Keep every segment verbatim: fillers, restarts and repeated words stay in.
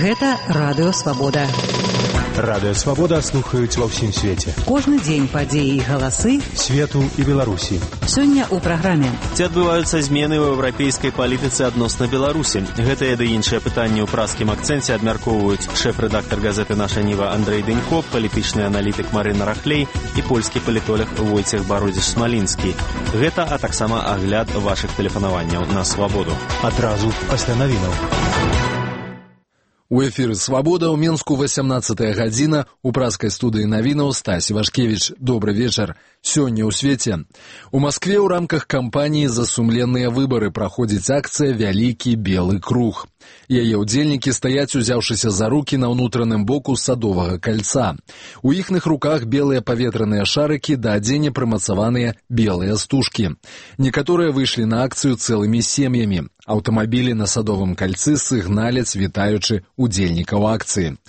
Гэта Радыё Свабода. Радыё Свабода слухаюць ва ўсім свеце. Кожны дзень падзеі і галасы свету і Беларусі. Сёння ў праграме. Ці адбываюцца змены ў еўрапейскай палітыцы адносна Беларусі? Гэтыя ды іншыя пытанні ў праскім акцэнце абмяркоўваюць шэф-рэдактар газеты «Наша Ніва» Андрэй Дэнько, палітычны аналітык Марына Рахлей і польскі палітолог Войцех Бародзіш-Смалінскі. Гэта, а таксама агляд вашых тэлефанаванняў на Свабоду. Адразу пасля навінаў. У эфіры «Свабода» ў Менску васямнаццатая гадзіна, у праскай студыі навінаў Стась Івашкевіч. Добры вечар. Сёння ў свеце. У Маскве ў рамках кампаніі «За сумленныя выбары» праходзіць акцыя «Вялікі белы круг». Яе ўдзельнікі стаяць, узяўшыся за рукі на ўнутраным боку садовага кальца. У іхных руках белыя паветраныя шарыкі, да адзення прымацаваныя белыя стужкі. Некаторыя выйшлі на акцыю цэлымі сем'ямі. Аўтамабілі на садовым кальцы сігналяць, вітаючы удзельнікаў акцыі.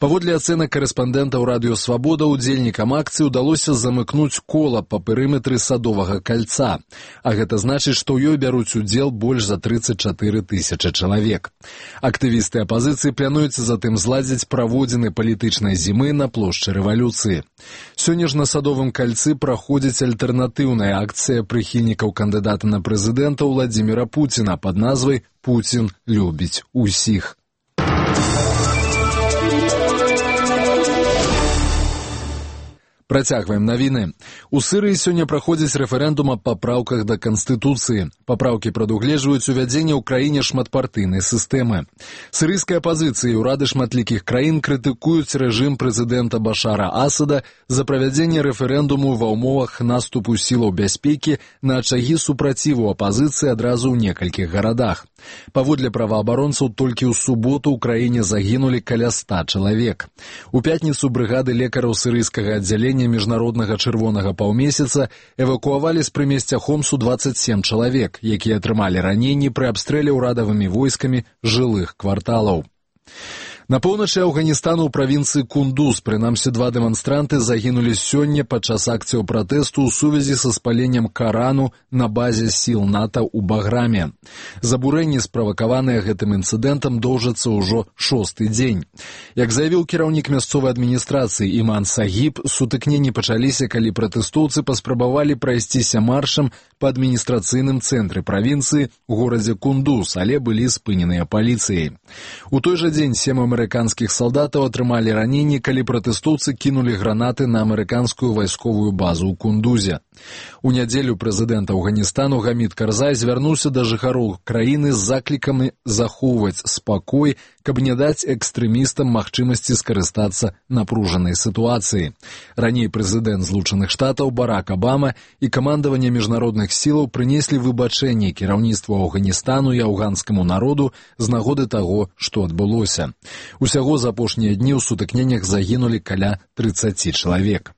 Паводле ацэнак карэспандэнтаў Радыё Свабода, удзельнікам акцыі ўдалося замыкнуць кола па перыметры садовага кальца. А гэта значыць, што ў ёй бяруць удзел больш за трыццаць чатыры тысячы чалавек. Актывісты апазіцыі плануюць затым зладзіць праводзіны палітычнай зімы на плошчы рэвалюцыі. Сёння ж на садовым кальцы праходзіць альтэрнатыўная акцыя прыхільнікаў кандыдата на прэзідэнта Владзіміра Пуціна пад назвай «Пуцін любіць усіх». Працягваем навіны. У Сырыі сёння праходзіць рэферэндум аб папраўках да Канстытуцыі. Папраўкі прадугледжваюць увядзенне ў краіне шматпартыйнай сістэмы. Сырыйская апазіцыя і ўрады шматлікіх краін крытыкуюць рэжым прэзідэнта Башара Асада за правядзенне рэферэндуму ва ўмовах наступу сілаў бяспекі на ачагі супраціву апазіцыі адразу ў некалькіх гарадах. Паводле праваабаронцаў, толькі ў суботу ў краіне загінулі каля ста чалавек. У пятніцу брыгады лекараў сырыйскага аддзялення міжнароднага чырвонага паўмесяца эвакуавалі з прымесця Хомсу дваццаць сем чалавек, якія атрымалі раненні пры абстрэле ўрадавымі войскамі жылых кварталаў. На поўначы Афганістану ў правінцыі Кундуз, прынамсі, два дэманстранты загінулі сёння падчас акцыяў пратэсту ў сувязі са спаленнем Карану на базе сіл НАТО ў Баграме. Забурэнні, справакаваныя гэтым інцыдэнтам, доўжацца ўжо шосты дзень. Як заявіў кіраўнік мясцовай адміністрацыі Іман Сагіб, сутыкненні пачаліся, калі пратэстоўцы паспрабавалі прайсціся маршам па адміністрацыйным цэнтры правінцыі ў горадзе Кундуз, але былі спыненыя паліцыяй. У той жа дзень сем амерыканскіх салдатаў атрымалі раненні, калі пратэстоўцы кінулі гранаты на амерыканскую вайсковую базу ў Кундузе. У нядзелю прэзідэнт Афганістану Гамід Карзай звярнуўся да жыхароў краіны з заклікамі захоўваць спакой, каб не даць экстрэмістам магчымасці скарыстацца напружанай сітуацыі. Раней прэзідэнт Злучаных Штатаў Барак Абама і камандаванне міжнародных сілаў прынеслі выбачэнне кіраўніцтву Афганістану і афганскаму народу з нагоды таго, што адбылося. Усяго за апошнія дні ў сутыкненнях загінулі каля трыццаці чалавек.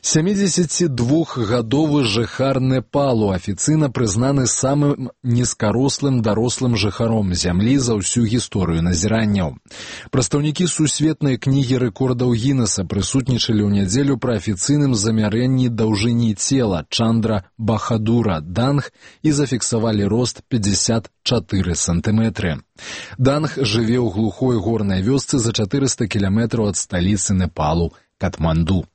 сямідзесяцідвухгадовы жыхар Непалу афіцыйна прызнаны самым нізкарослым дарослым жыхаром зямлі за ўсю гісторыю назіранняў. Прадстаўнікі сусветнай кнігі рэкордаў Гіннеса прысутнічалі ў нядзелю пры афіцыйным замярэнні даўжыні цела Чандра Бахадура Данг і зафіксавалі рост пятьдесят чатыры сантыметры. Данг жыве ў глухой горнай вёсцы за чатырыста кіламетраў ад сталіцы Непалу Катманду.